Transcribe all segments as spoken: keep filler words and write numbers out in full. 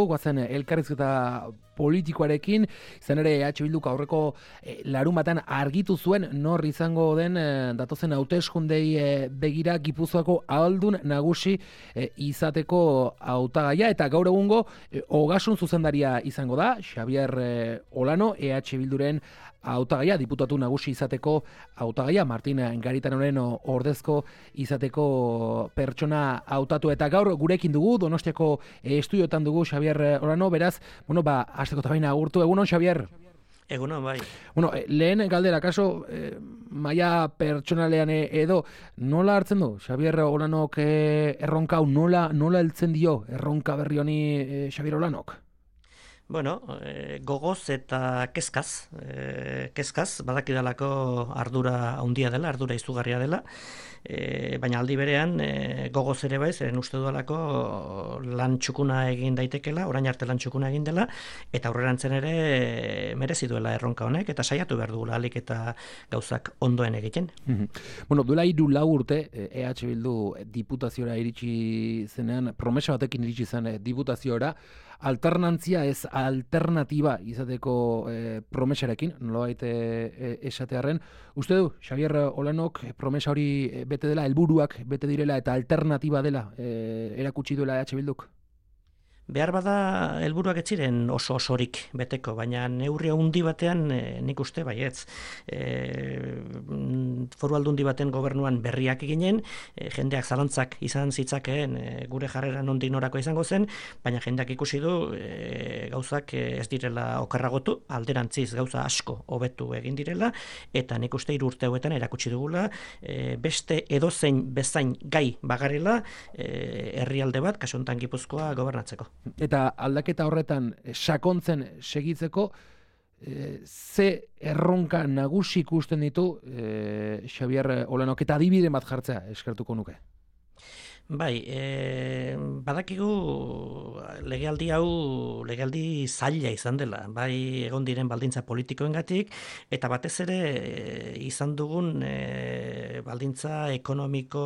Guazen elkarrizketa politikoarekin, izan ere E H Bilduk aurreko e, larunbatan argitu zuen nor izango den e, datozen hauteskundei e, begira Gipuzkoako ahaldun nagusi e, izateko hautagaia, eta gaur egungo e, ogasun zuzendaria izango da, Xabier e, Olano, E H Bilduren hautagaia, diputatu nagusi izateko hautagaia, Martin Garitanoren ordezko izateko pertsona hautatu, eta gaur gurekin dugu, Donostiako e, estudiotan dugu Xabier Olano, beraz, bueno, ba, hasteko eta baina agurtu, egunon, Xabier? Egunon, bai. Bueno, lehen galdera, kaso, eh, maia pertsonalean edo, nola hartzen du, Xabier Olanok eh, erronka hau, nola, nola heltzen dio erronka berri honi eh, Xabier Olanok? Bueno, e, gogoz eta kezkaz, e, kezkaz, badakidalako ardura handia dela, ardura izugarria dela, e, baina aldi berean e, gogoz ere bai, zeren uste dudalako lan txukuna egin daitekela, orain arte lan txukuna egin dela, eta aurrerantzen ere e, merezi duela erronka honek, eta saiatu behar dugula alik eta gauzak ondoen egiten. Mm-hmm. Bueno, duela hiru lau urte, E H Bildu diputaziora iritsi zenean, promesa batekin iritsi zen diputaziora, alternantzia ez alternatiba izateko e, promesarekin, nolabait e, esatearren. Uste du, Xabier Olanok promesa hori bete dela, helburuak bete direla eta alternatiba dela e, erakutsi duela E H Bilduk? Behar bada helburuak ez ziren oso osorik beteko, baina neurri handi batean e, nik uste baietz. E, foru aldundi baten gobernuan berriak eginen, e, jendeak zalantzak izan zitzakeen e, gure jarrera nondik norako izango zen, baina jendeak ikusi du e, gauzak ez direla okerragotu, alderantziz gauza asko hobetu egin direla, eta nik uste hiru urte hauetan erakutsi dugula e, beste edozein bezain gai bagarela e, herrialde bat, kasu honetan Gipuzkoa gobernatzeko. Eta aldaketa horretan sakontzen segitzeko, e, ze erronka nagusi ikusten ditu e, Xabier Olanok, eta adibide bat jartzea eskertuko nuke? Bai, e, badakigu legealdi hau legealdi zaila izan dela, bai egon diren baldintza politikoengatik, eta batez ere e, izan dugun e, baldintza ekonomiko,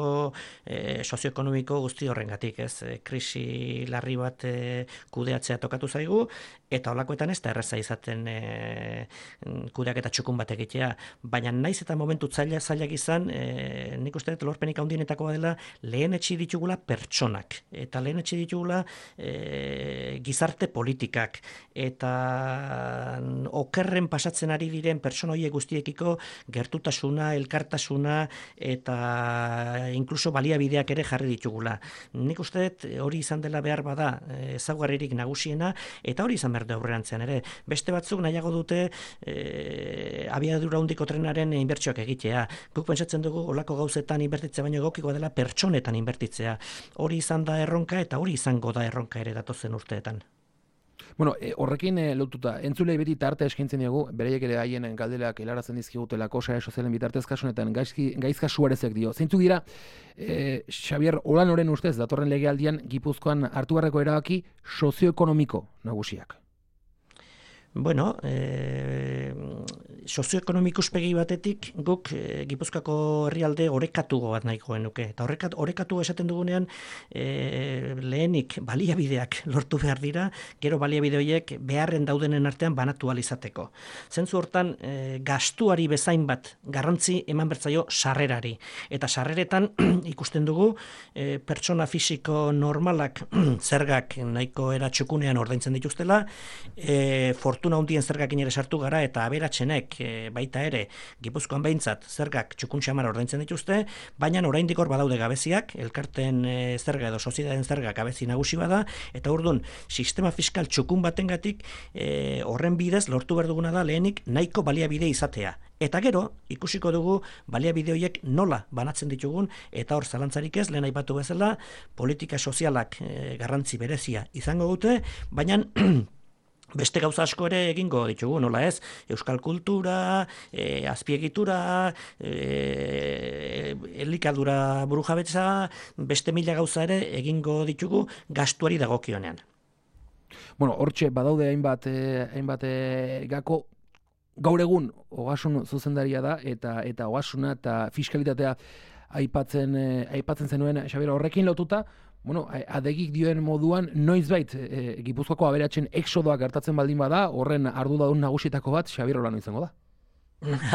e, sozioekonomiko guzti horrengatik, ez? E, krisi larri bat e, kudeatzea tokatu zaigu, eta holakoetan ez da erraza izaten e, kudeaketa txukun bat egitea, baina naiz eta momentu zaila zailak izan, e, nik uste dut lorpenik handienetakoa dela lehen etxi ditugula pertsonak, eta lehen etxe ditugula e, gizarte politikak, eta okerren pasatzen ari diren pertsona horiek guztiekiko gertutasuna, elkartasuna, eta inkluso baliabideak ere jarri ditugula. Nik uste dut hori izan dela behar bada ezaugarririk nagusiena, eta hori izan behar da aurrerantzean ere. Beste batzuk nahiago dute e, abiadura handiko trenaren inbertsioak egitea. Guk pentsatzen dugu olako gauzetan inbertitzea baino egokikoa dela pertsonetan inbertitzea. Hori izan da erronka, eta hori izango da erronka ere datozen urteetan. Bueno, e, horrekin e, lotuta, entzulei beti tarte eskaintzen dugu, bereiek ere haien galderak helarazen dizkigutelako sare sozialen bitartez, kasunetan gaizka suarezek dio. Zeintzuk dira, e, Xabier Olanoren ustez, datorren legealdian Gipuzkoan hartu beharreko erabaki sozioekonomiko nagusiak? Bueno, e, sozioekonomiko ikuspegi batetik guk e, Gipuzkoako herrialde orekatugo bat nahiko genuke. Eta orekat, orekatu esaten dugunean e, lehenik baliabideak lortu behar dira, gero baliabide horiek beharren daudenen artean banatu ahal izateko. Zentzu hortan e, gastuari bezain bat garrantzi eman bertzaio sarrerari. Eta sarreretan ikusten dugu e, pertsona fisiko normalak zergak nahiko eratxukunean ordaintzen dituztela, e, fortuna handien zergakin ere sartu gara, eta aberatsenek e, baita ere Gipuzkoan behintzat zergak txukun xamar ordaintzen dituzte, baina oraindik hor badaude gabeziak, elkarten e, zerga edo soziedaden zerga gabezi nagusi bada, eta orduan sistema fiskal txukun batengatik e, horren bidez lortu behar duguna da lehenik nahiko baliabide izatea. Eta gero, ikusiko dugu baliabide horiek nola banatzen ditugun, eta hor zalantzarik ez, lehen aipatu bezala, politika sozialak e, garrantzi berezia izango dute, baina beste gauza asko ere egingo ditugu, nola ez? Euskal kultura, e, azpiegitura, e, elikadura burujabetza, beste mila gauza ere egingo ditugu gastuari dagokionean. Bueno, hortxe badaude hainbat, eh, hainbat eh, gako, gaur egun ogasun zuzendaria da, eta eta ogasuna eta fiskalitatea aipatzen, eh, aipatzen zenuen, Xabier, horrekin lotuta, bueno, adegik dioen moduan, noizbait e, Gipuzkoako aberatsen exodoak gertatzen baldin bada, horren arduradun nagusietako bat Xabier Olano izango da.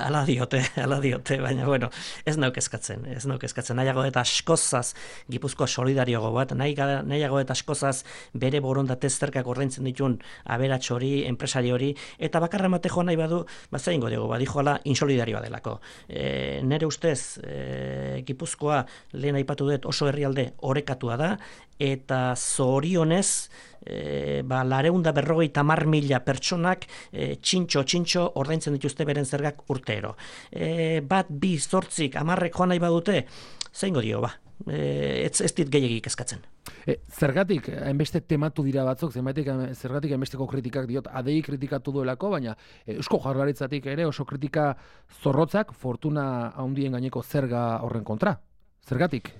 Ala diote, ala diote, baina bueno, ez nauk eskatzen, ez nauk eskatzen, nahiago eta askozaz Gipuzkoa solidariogo bat, nahiago eta askozaz bere borondatez zerkak ordaintzen dituen aberats hori, enpresari hori, eta bakarra mate joan nahi badu, bat zain godiogo, badijo ala insolidarioa delako. E, nere ustez, e, Gipuzkoa lehen aipatu dut oso herrialde orekatua da, eta zorionez, e, ba, lareunda berrogei tamar mila pertsonak e, txintxo, txintxo ordaintzen dituzte beren zergak urtero. E, bat, bi, zortzik, amarrek joan nahi badute, zeingo dio, ba, e, ez, ez dit gehiagik eskatzen. E, zergatik, hainbeste tematu dira batzuk, zenbaitik, zergatik hainbesteko kritikak diot, adei kritikatu duelako, baina Eusko Jaurlaritzatik ere oso kritika zorrotzak fortuna handien gaineko zerga horren kontra. Zergatik?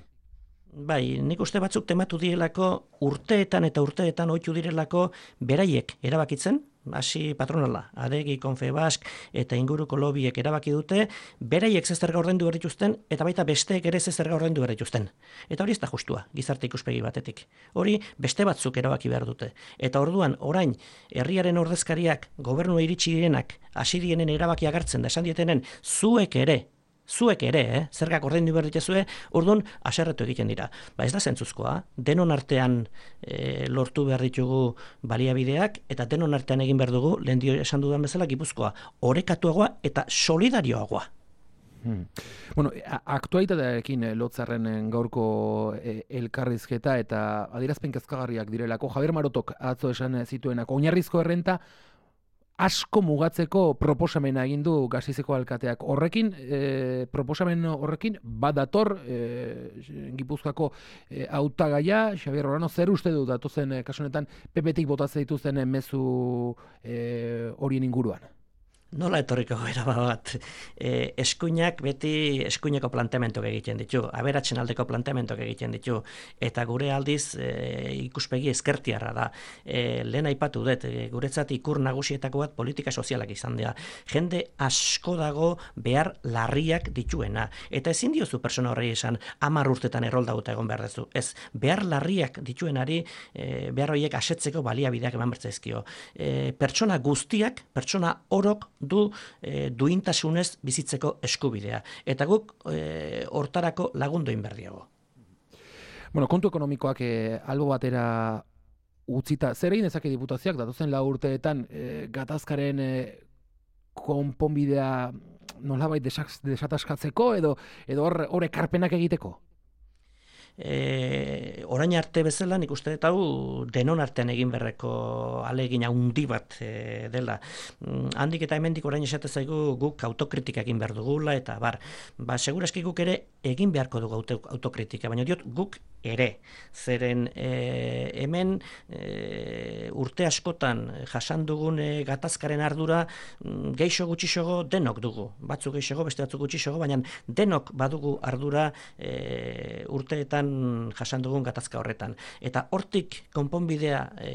Bai, nik uste batzuk tematu direlako urteetan eta urteetan ohitu direlako beraiek erabakitzen, hasi patronala, Adegi, Confebask eta inguruko lobiek erabaki dute, beraiek ze zerga ordaindu behar dituzten eta baita besteek ere ze zerga ordaindu behar dituzten. Eta hori ez da justua, gizarte ikuspegi batetik. Hori beste batzuk erabaki behar dute. Eta orduan, orain, herriaren ordezkariak, gobernua iritsi direnak, hasi dienen erabakiak hartzen da esan dietenen, zuek ere, Zuek ere, eh? Zergak ordaindu behar dituzue, orduan haserretu egiten dira. Ba ez da zentzuzkoa, denon artean e, lortu behar ditugu baliabideak, eta denon artean egin behar dugu, lehen dio esan dudan bezala, Gipuzkoa orekatuagoa eta solidarioagoa. Hmm. Bueno, aktualitatearekin lotzarren gaurko elkarrizketa eta adierazpen kezkagarriak direlako, Javier Marotok atzo esan zituenak, oinarrizko errenta asko mugatzeko proposamena egin du Gasteizeko alkateak. Horrekin, e, proposamen horrekin, badator e, Gipuzkoako e, hautagaia, Xabier Olano, zer uste du datozen e, kasunetan P P-tik botatzen dituzten mezu e, horien inguruan? Nola etorriko gara bat, e, eskuinak beti eskuineko planteamentok egiten ditu, aberatzen aldeko planteamentok egiten ditu, eta gure aldiz e, ikuspegi ezkertiarra da. E, lehen aipatu dut, e, guretzat ikur nagusietako bat politika sozialak izan dira. Jende asko dago behar larriak dituena, eta ezin diozu persona horrei esan hamar urtetan erroldaguta egon behar dezu. Ez, behar larriak dituenari e, behar horiek asetzeko baliabideak eman bertzaizkio. E, pertsona guztiak, pertsona orok du e, duintasunez bizitzeko eskubidea. Eta guk e, hortarako lagundu egin behar diago. Bueno, kontu ekonomikoak e, albo batera utzita, zer egin dezake diputazioak, datozen lau urteetan e, gatazkaren e, konponbidea nolabait desataskatzeko edo edo hor ekarpenak egiteko? E, orain arte bezala nik uste dut hau denon artean egin berreko alegin handi bat e, dela. Mm, handik eta hemendik orain esate zaigu guk autokritika egin behar dugula eta bar, ba segurazki guk ere egin beharko dugu auto, autokritika, baina diot guk ere. Zeren e, hemen e, urte askotan jasan dugun e, gatazkaren ardura mm, geixo gutxixogo denok dugu. Batzuk geixogo, beste batzuk gutxixogo, baina denok badugu ardura e, urteetan jasan dugun gatazka horretan. Eta hortik konponbidea e,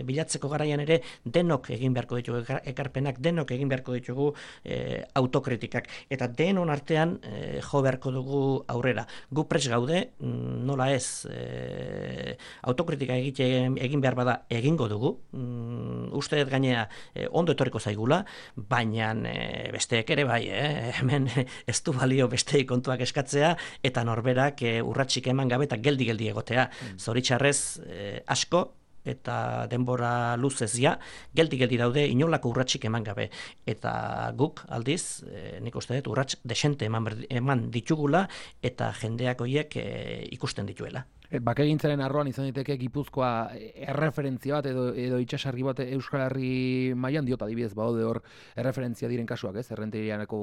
bilatzeko garaian ere denok egin beharko ditugu ekarpenak, denok egin beharko ditugu e, autokritikak. Eta denon artean e, jo beharko dugu aurrera. Gu prest gaude, nola ez, e, autokritika egite, egin behar bada egingo dugu. Mm, uste dut gainea e, ondo etorriko zaigula, baina e, besteek ere bai, eh? Hemen ez du balio besteei kontuak eskatzea, eta norberak e, urratsik eman gabe eta geldi-geldi egotea. Mm. Zoritxarrez eh, asko eta denbora luzez ja, geldi-geldi daude inolako urratsik eman gabe. Eta guk aldiz, eh, nik uste dut, urrats desente eman, eman ditugula eta jendeak horiek eh, ikusten dituela. Bakegintzaren arroan izan daiteke Gipuzkoa erreferentzia bat edo, edo itxasargi bat Euskal Herri mailan, diot adibidez badaude hor erreferentzia diren kasuak, ez? Errenterianeko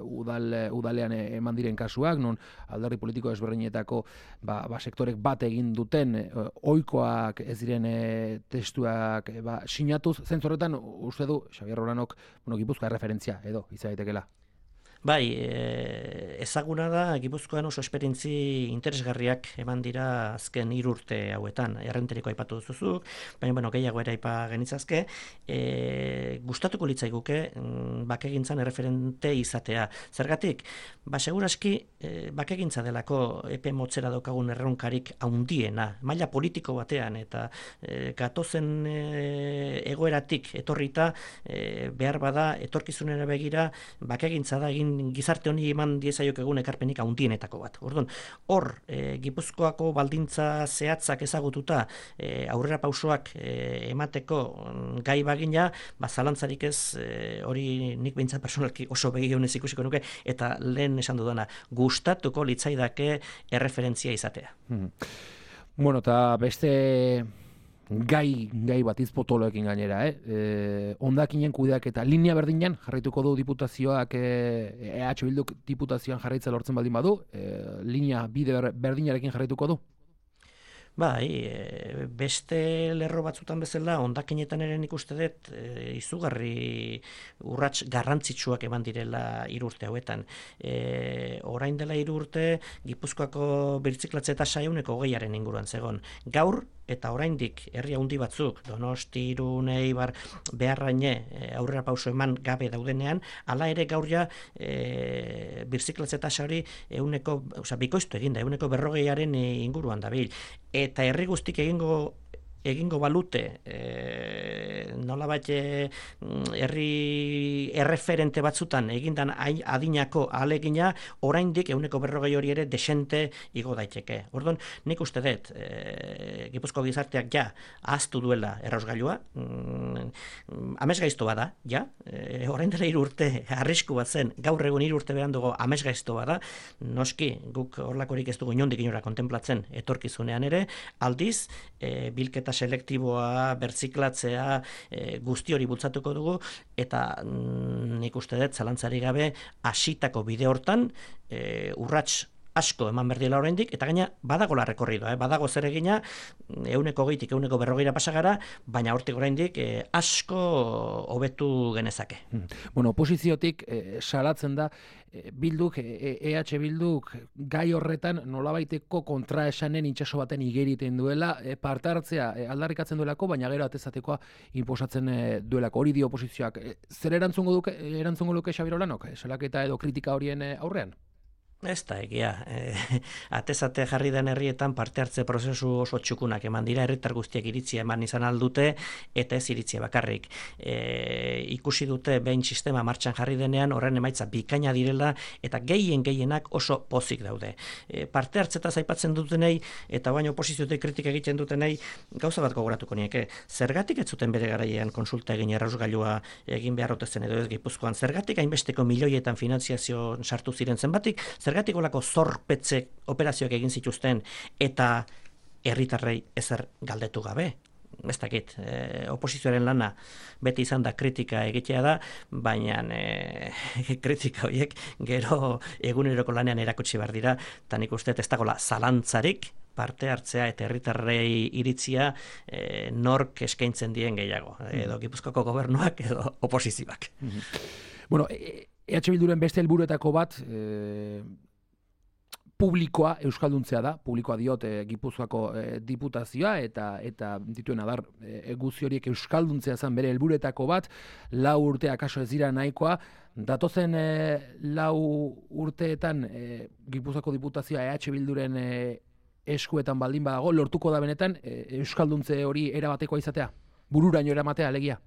udal, udalean eman diren kasuak, non alderdi politiko ezberdinetako ba, ba, sektorek bat egin duten ohikoak ez diren e, testuak e, ba, sinatuz, zentzorretan uste du Xabier Olanok, bueno, Gipuzkoa erreferentzia edo izan daitekeela. Bai, e, ezaguna da, Gipuzkoan oso esperientzi interesgarriak eman dira azken hiru urte hauetan, errenteriko aipatu duzuzuk, baina bueno, gehiago ere aipa genitzazke, e, gustatuko litzaiguke bakegintzan erreferente izatea. Zergatik, ba, seguraski, e, bakegintza delako epe motzera daukagun erronkarik haundiena, maila politiko batean, eta e, gatozen e, egoeratik etorrita, e, behar bada, etorkizunera begira, bakegintza da egin gizarte honi eman diezaiok egun ekarpenik handienetako bat. Orduan, hor, e, Gipuzkoako baldintza zehatzak ezagututa, e, aurrera pausoak e, emateko gai bagina, ba, zalantzarik ez, e, hori nik behintzat personalki oso begionez ikusiko nuke, eta lehen esan dudana, gustatuko litzaidake erreferentzia izatea. Hmm. Bueno, eta beste gai, gai bat izpotoloekin gainera, eh? E, ondakinen kudeak eta linea berdinean jarraituko du diputazioak, E H Bilduk diputazioan jarraitza lortzen baldin badu, e, linea bide berdinarekin jarraituko du? Bai, e, beste lerro batzutan bezala, hondakinetan ere nik uste dut e, izugarri urrats garrantzitsuak eman direla hiru urte hauetan. E, orain dela hiru urte, Gipuzkoako birziklatze tasa ehuneko hogeiaren inguruan zegon. Gaur, eta oraindik herri handi batzuk, Donosti, Irun, Eibar, Bearraine, e, aurrera pauso eman gabe daudenean, hala ere gaur ja e, birziklatze tasa hori ehuneko, osea, bikoiztu eginda, ehuneko berrogeiaren inguruan dabil. Eta herri guztik egingo egingo balute e, nolabait herri erreferente batzutan egindan adinako ahalegina oraindik ehuneko berrogei hori ere desente igo daiteke. Orduan, nik uste dut e, Gipuzko gizarteak ja ahaztu duela errausgailua, mm, amesgaizto bada, ja, e, orain dela hiru urte arrisku bat zen, gaur egun hiru urte berandugo amesgaizto bada, noski guk horlakorik ez dugu inondik inora kontemplatzen etorkizunean ere, aldiz e, bilketa selektiboa, bertziklatzea, e, guzti hori bultzatuko dugu, eta mm, nik uste dut, zalantzari gabe, hasitako bide hortan, e, urrats asko eman berdiela oraindik, eta gaina badago la rekorridoa, eh? Badago zer egina, ehuneko hogeitik ehuneko berrogeira pasagara, baina hortik oraindik eh, asko hobetu genezake. Bueno, oposiziotik eh, salatzen da, eh, Bilduk, eh, E H Bilduk gai horretan nolabaiteko kontraesanen itsaso baten igeriten duela, eh, parte hartzea eh, aldarrikatzen duelako, baina gero atezatekoa inposatzen eh, duelako. Hori dio oposizioak. Eh, zer erantzungo duke, erantzungo luke Xabier Olanok? Salaketa edo kritika horien eh, aurrean? Ez da, egia. E, atezate jarri den herrietan parte hartze prozesu oso txukunak eman dira, herritar guztiak iritzia eman izan aldute, eta ez iritzia bakarrik. E, ikusi dute behin sistema martxan jarri denean, horren emaitza bikaina direla, eta gehien gehienak oso pozik daude. E, parte hartzetaz aipatzen dutenei, eta baino oposiziotik kritika egiten dutenei, gauza bat gogoratuko nieke. Zergatik ez zuten bere garaian konsulta egin errausgailua egin beharrotezen edo ez Gipuzkoan? Zergatik hainbesteko milioietan finanziazio sartu ziren zenbatik? Zergatik olako zorpetze operazioak egin zituzten eta herritarrei ezer galdetu gabe? Ez dakit, e, oposizioaren lana beti izan da kritika egitea da, baina e, kritika horiek gero eguneroko lanean erakutsi behar dira, eta nik uste ez dagoela zalantzarik parte hartzea eta herritarrei iritzia e, nork eskaintzen dien gehiago, edo Gipuzkoako gobernuak edo oposizioak. Bueno, E H Bilduren beste helburuetako bat e, publikoa euskalduntzea da, publikoa diot e, Gipuzkoako e, diputazioa eta eta dituen adar e, guzi horiek euskalduntzea zen bere helburuetako bat, lau urte akaso ez dira nahikoa, datozen e, lau urteetan e, Gipuzkoako diputazioa E H Bilduren e, eskuetan baldin badago, lortuko da benetan e, euskalduntze hori erabatekoa izatea, bururaino eramatea alegia.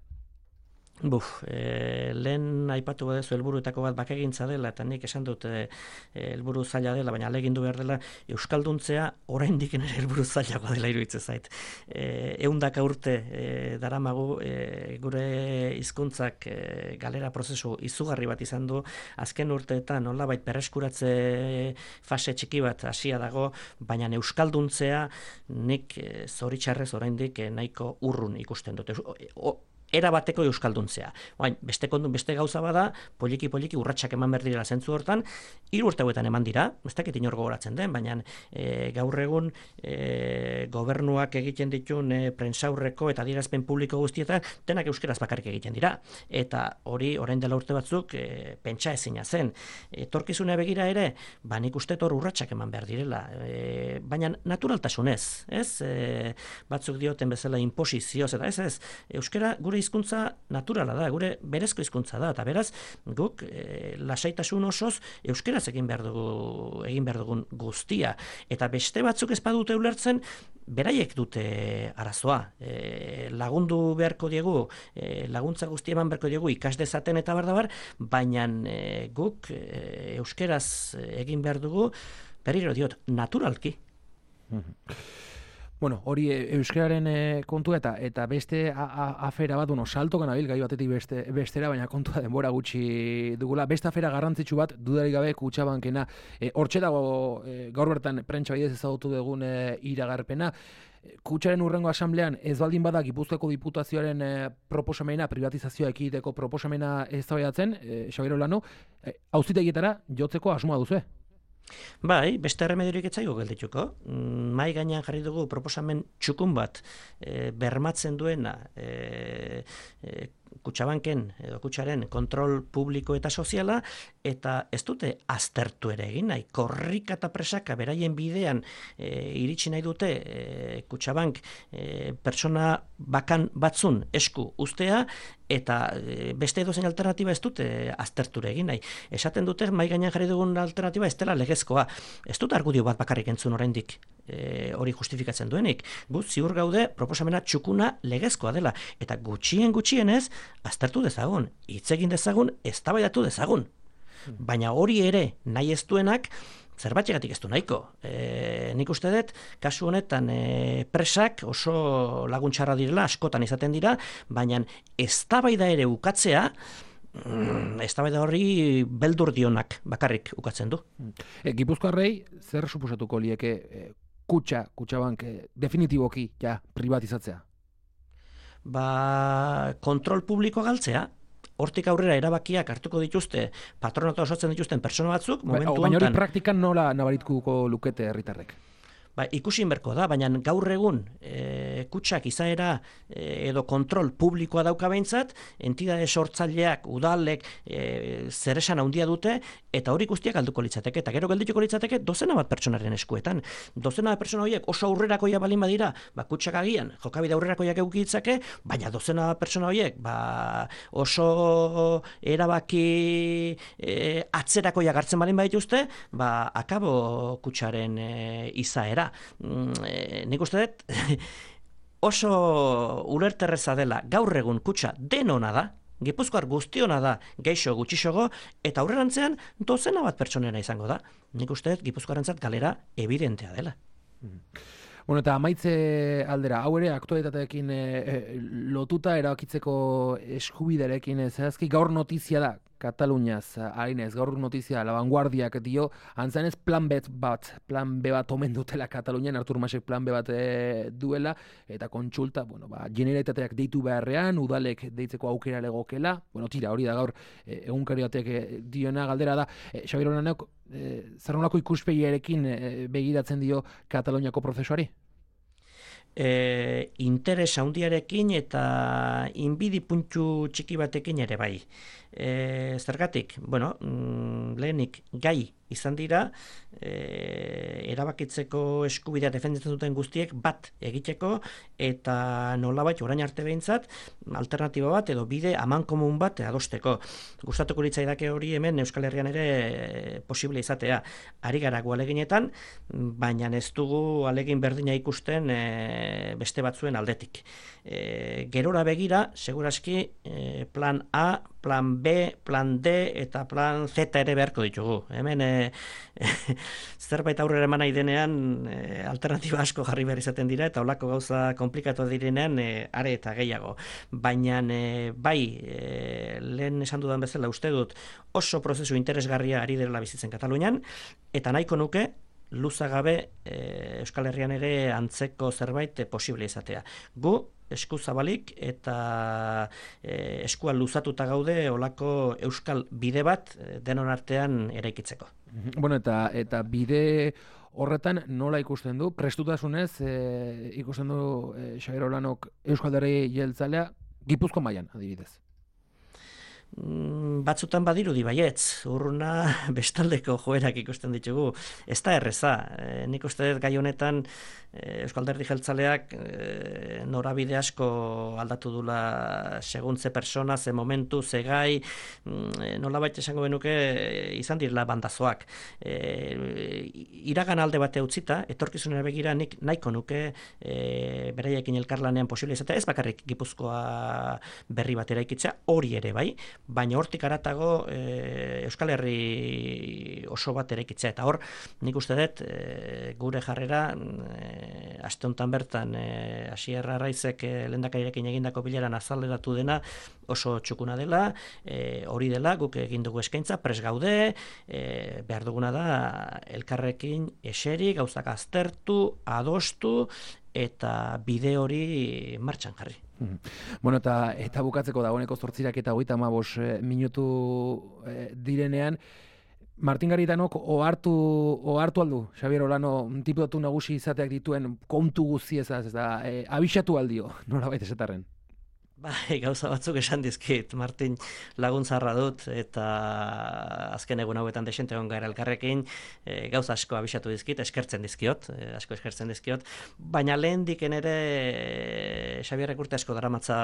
Buf, e, lehen aipatu badezu helburuetako bat bakegintza dela, eta nik esan dut e, helburu zaila dela, baina alegindu behar dela, euskalduntzea oraindik ere helburu zailagoa dela iruditzen zait. E, ehundaka urte e, daramagu e, gure hizkuntzak e, galera prozesu izugarri bat izan du, azken urteetan nolabait berreskuratze fase txiki bat hasia dago, baina euskalduntzea nik e, zoritxarrez oraindik e, nahiko urrun ikusten dut. O, era bateko euskalduntzea. Baina, beste kondun, beste gauza bada, poliki-poliki urratsak eman behar direla zentzu hortan, hiru urte hauetan eman dira, ez dakit inor gogoratzen den, baina e, gaur egun e, gobernuak egiten ditun e, prentsaurreko eta adierazpen publiko guztietan, denak euskeraz bakarrik egiten dira. Eta hori, orain dela urte batzuk, e, pentsa ezina zen. Etorkizunea begira ere, ba, nik uste hor urratsak eman behar direla. E, baina naturaltasunez, ez? E, batzuk dioten bezala inposizioz, eta ez, ez, euskera gure hizkuntza naturala da, gure berezko hizkuntza da, eta beraz, guk e, lasaitasun osoz euskeraz egin behar dugu, egin behar dugun guztia. Eta beste batzuk ez badute ulertzen, beraiek dute arazoa. E, lagundu beharko diegu, e, laguntza guztia eman beharko diegu ikas dezaten eta bardabar, baina e, guk e, euskeraz egin behar dugu, berriro diot, naturalki. Bueno, hori euskararen e, kontua eta eta beste a, a, afera bat, bueno, salto ganabil gai batetik beste, bestera, baina kontua denbora gutxi dugula. Beste afera garrantzitsu bat, dudarik gabe Kutxabankena. E, hortxe dago e, gaur bertan prentsa bidez ezagutu dugun e, iragarpena. Kutxaren hurrengo asamblean ez baldin bada Gipuzkoako Diputazioaren e, proposamena, privatizazioa ekiditeko proposamena eztabaidatzen, e, Xabier Olano, e, auzitegietara jotzeko asmoa duzu. Bai, beste erremediorik etzaigu geldituko. Mai gainean jarri dugu proposamen txukun bat e, bermatzen duena e, e, Kutxabanken edo Kutxaren kontrol publiko eta soziala, eta ez dute aztertu ere egin nahi. Korrika eta presaka beraien bidean e, iritsi nahi dute e, Kutxabank e, pertsona bakan batzun esku ustea, eta e, beste edozein alternatiba ez dute azterture egin nahi. Esaten dute mai gainean jarri dugun alternatiba ez dela legezkoa. Ez dut argudio bat bakarrik entzun oraindik e, hori justifikatzen duenik. Gu ziur gaude proposamena txukuna legezkoa dela, eta gutxien gutxienez aztertu dezagun, hitz egin dezagun, eztabaidatu dezagun. Baina hori ere nahi ez duenak zerbaitegatik ez du nahiko. E, nik uste dut, kasu honetan e, presak oso laguntxarra direla, askotan izaten dira, baina eztabaida ere ukatzea, mm, eztabaida horri beldur dionak bakarrik ukatzen du. E, Gipuzkoarrei zer suposatuko lieke e, Kutxa, Kutxabank e, definitiboki ja privatizatzea? Ba, kontrol publiko galtzea, hortik aurrera erabakiak hartuko dituzte, patronatu osatzen dituzten pertsona batzuk, momentu honetan... Baina hori praktikan nola nabarituko lukete herritarrek? Ba, ikusi inberko da, baina gaur egun e, Kutxak izaera e, edo kontrol publikoa dauka behintzat, entidade sortzaileak, udalek e, zeresan handia dute, eta hori guztiak alduko litzateke, eta gero geldituko litzateke dozena bat pertsonaren eskuetan. Dozena bat pertsona horiek oso aurrerakoia balin badira, ba, Kutxak agian, jokabide aurrerakoiak eduki ditzake, baina dozena bat pertsona horiek ba, oso erabaki e, atzerakoiak hartzen balin badituzte, ba, akabo Kutxaren e, izaera. E, nik uste dut oso ulerterreza dela gaur egun Kutxa denona da, Gipuzkoar guztiona da, geixo gutxixogo, eta aurrerantzean dozena bat pertsonera izango da. Nik uste dut Gipuzkoarentzat galera evidentea dela. Bueno, eta amaitze aldera, hau ere aktualitateekin e, e, lotuta erabakitzeko eskubiderekin zehazki, gaur notizia da, Kataluniaz, harinez, gaur notizia, La Vanguardiak dio, antzanez plan B bat, plan B bat omen dutela Katalunian, Artur Masek plan B bat e, duela, eta kontsulta, bueno, ba, generalitateak deitu beharrean, udalek deitzeko aukera legokela, bueno, tira, hori da gaur, e, egunkari batek e, diona galdera da, e, Xabier Olanek, e, zer nolako ikuspegiarekin e, begiratzen dio Kataluniako prozesuari? E, interes handiarekin eta inbidi puntu txiki batekin ere bai. E, zergatik, bueno, mm, lehenik gai izan dira, e, erabakitzeko eskubidea defenditzen duten guztiek bat egiteko, eta nolabait orain arte behintzat, alternatiba bat edo bide amankomun bat adosteko. Gustatuko litzaidake hori hemen Euskal Herrian ere posible izatea. Ari gara gu aleginetan, baina ez dugu alegin berdina ikusten e, beste batzuen aldetik. E, gerora begira, seguraski e, plan A, plan B, plan D eta plan Z ere beharko ditugu. Hemen e, zerbait aurrera eman nahi denean e, alternatiba asko jarri behar izaten dira, eta holako gauza komplikatu direnean e, are eta gehiago. Baina e, bai, e, lehen esan dudan bezala uste dut oso prozesu interesgarria ari dela bizitzen Katalunian, eta nahiko nuke luzagabe e, Euskal Herrian ere antzeko zerbait e, posible izatea. Gu esku zabalik eta e, eskua luzatuta gaude olako euskal bide bat e, denon artean eraikitzeko. Bueno, eta eta bide horretan nola ikusten du, prestutasunez e, ikusten du e, Xabier Olanok Euskal Alderdi Jeltzalea Gipuzkoa mailan adibidez. Batzutan badirudi baietz, urruna bestaldeko joerak ikusten ditugu. Ez da erreza, e, nik uste dut gai honetan e, Euskal Alderdi Jeltzaleak e, norabide asko aldatu dula seguntze persona, ze momentu, ze gai, e, nolabait esango benuke e, izan direla bandazoak. E, iragan alde bate utzita, etorkizunera begira nik nahiko nuke e, beraiekin elkarlanean posible izatea, ez bakarrik Gipuzkoa berri bat eraikitzea, hori ere bai, baina hortik aratago e, Euskal Herri oso bat eraikitzea. Eta hor, nik uste dut, e, gure jarrera, e, aste honetan bertan, e, Asier Arraizek e, lehendakarirekin egindako bileran azaleratu dena oso txukuna dela, e, hori dela, guk egin dugu eskaintza, pres gaude, e, behar duguna da, elkarrekin eseri, gauzak aztertu, adostu, eta bide hori martxan jarri. Bueno, eta, eta bukatzeko dagoeneko zortzirak eta hogeita hamabost e, minutu e, direnean, Martin Garitanok ohartu ohartu aldu, Xabier Olano diputatu nagusi izateak dituen kontu guztiezaz, ez da, e, abisatu aldio, nolabait esatarren. Bai, gauza batzuk esan dizkit, Martin laguntzarra dut, eta azken egun hauetan desente egon gara elkarrekin, e, gauza asko abisatu dizkit, eskertzen dizkiot, e, asko eskertzen dizkiot, baina lehen diken ere e, Xabierrek urte asko daramatza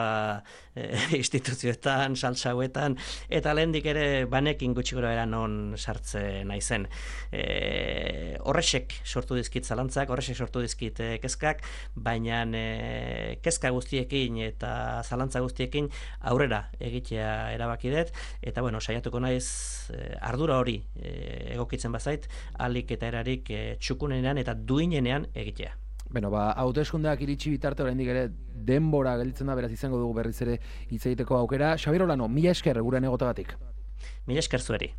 e, instituzioetan, saltsa hauetan, eta lehen dik ere banekin gutxi gora era non sartzen naizen. E, horrexek sortu dizkit zalantzak, horrexek sortu dizkit e, kezkak, baina e, kezka guztiekin eta zalantzak zalantza guztiekin aurrera egitea erabaki dut, eta bueno, saiatuko naiz eh, ardura hori eh, egokitzen bazait, alik eta erarik eh, txukunenean eta duinenean egitea. Beno, ba, hauteskundeak iritsi bitarte oraindik ere denbora gelditzen da, beraz izango dugu berriz ere hitz egiteko aukera. Xabier Olano, mila esker gurean egotagatik. Mila esker zueri.